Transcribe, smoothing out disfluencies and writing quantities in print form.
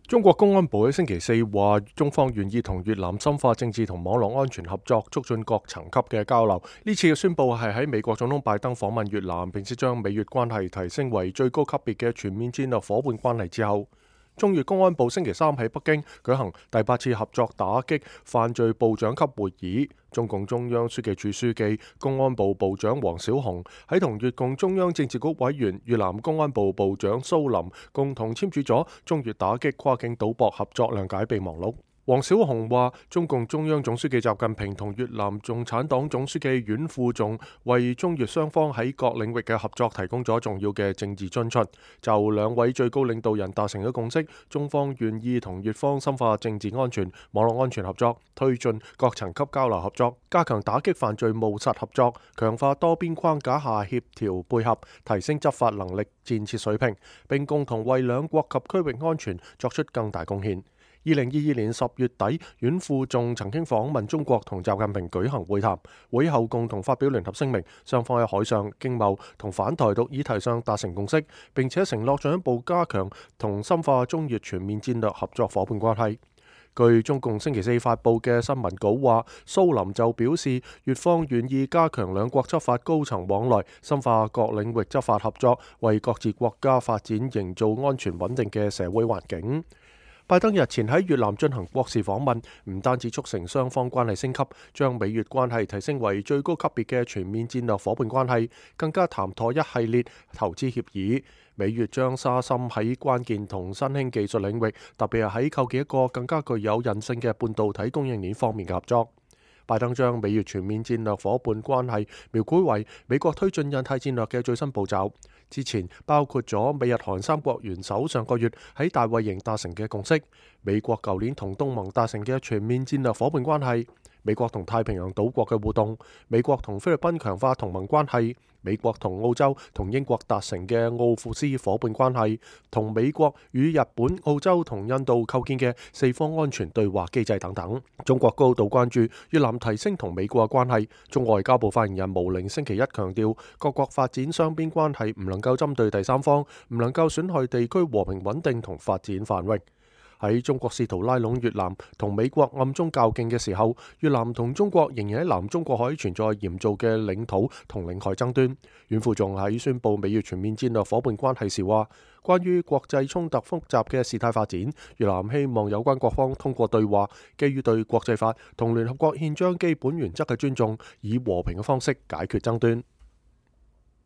中國公安部喺星期四話，中方願意同越南深化政治同網絡安全合作，促進各層級嘅交流。呢次嘅宣佈係喺美國總統拜登訪問越南，並且將美越關係提升為最高級別嘅全面戰略夥伴關係之後。中越公安部星期三喺北京舉行第8次合作打擊犯罪部長級會議，中共中央書記處書記、公安部部長王小洪喺同越共中央政治局委員、越南公安部部長蘇林共同簽署咗中越打擊跨境賭博合作諒解備忘錄。王小洪話：中共中央總書記習近平同越南共產黨總書記阮富仲為中越雙方喺各領域嘅合作提供咗重要嘅政治津貼。就兩位最高領導人達成咗共識，中方願意同越方深化政治安全、網絡安全合作，推進各層級交流合作，加強打擊犯罪務實合作，強化多邊框架下協調配合，提升執法能力、建設水平，並共同為兩國及區域安全作出更大貢獻。2022年10月底，阮富仲曾經訪問中國，同習近平舉行會談，會後共同發表聯合聲明，雙方喺海上、經貿同反台獨議題上達成共識，並且承諾進一步加強同深化中越全面戰略合作夥伴關係。據中共星期四發佈嘅新聞稿話，蘇林就表示，越方願意加強兩國執法高層往來，深化各領域執法合作，為各自國家發展營造安全穩定嘅社會環境。拜登日前喺越南進行國事訪問，唔單止促成雙方關係升級，將美越關係提升為最高級別嘅全面戰略夥伴關係，更加談妥一系列投資協議。美越將沙深喺關鍵同新興技術領域，特別係喺構建一個更加具有韌性嘅半導體供應鏈方面嘅合作。拜登將美越全面戰略夥伴關係描繪為美國推進印太戰略嘅最新步驟。之前包括咗美日韓三國元首上個月喺大衛營達成嘅共識，美國舊年同東盟達成嘅全面戰略夥伴關係，美國同太平洋島國嘅互動，美國同菲律賓強化同盟關係，美國同澳洲同英國達成嘅奧庫斯夥伴關係，同美國與日本、澳洲同印度構建嘅四方安全對話機制等等。中國高度關注越南提升同美國嘅關係。中外交部發言人毛寧星期一強調，各國發展雙邊關係唔能夠針對第三方，唔能夠損害地區和平穩定同發展繁榮。喺中國試圖拉攏越南同美國暗中較勁嘅時候，越南同中國仍然喺南中國海存在嚴重嘅領土同領海爭端。阮富仲喺宣布美越全面戰略夥伴關係時話，關於國際衝突複雜嘅事態發展，越南希望有關各方通過對話，基於對國際法同聯合國憲章基本原則嘅尊重，以和平嘅方式解決爭端。